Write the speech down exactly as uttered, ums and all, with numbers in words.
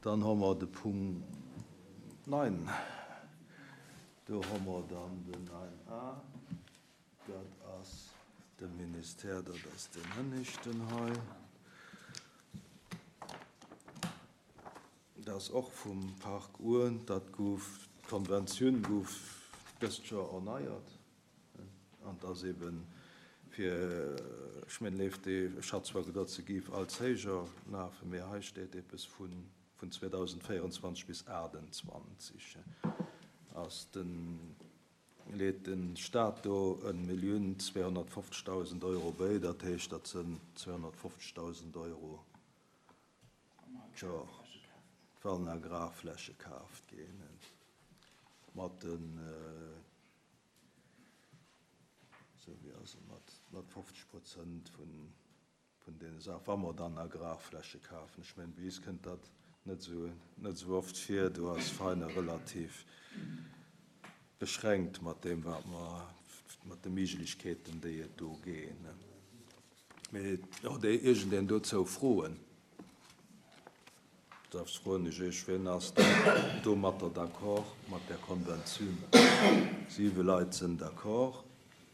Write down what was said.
Dann hu mer de Punkt neun. Do hu mer dann den neun A. Dat ass de Ministère, dat ass den Hënneschten hei. Dat ass och vum Park Uhr. Dat gouf, d'Konventioun gouf dëst Joer erneiert. An dat ass eben fir, ech mengen, leeft déi, ech hat zwar geduet, se géif als héijer lafen, mee hei steet eppes vun, vun zweedausendvéierenzwanzeg bis achtundzwanzeg. Ass den, leet den Staat do en Millioun zweehonnertfofzegdausend Euro béi, dat heescht, dat sinn zweehonnertfofzegdausend Euro d'Joer, wann Agrarfläche kaaft ginn. Mat den, sou wéi ass et, mat, mat fofzeg Prozent vun, vun deene Saachen, wa mer dann Agrarfläche kafen. Ech mengen, bei eis kënnt dat net sou, net sou oft vir. Do ass Veiner relativ beschränkt mat deem, wat mer, mat de Méiglechkeeten, déi et do ginn. Mee huet iergendeen dozou Froen? Da froen ech Iech, wien ass domatter d'accord, mat där Konventioun? Siwe Leit sinn d'accord.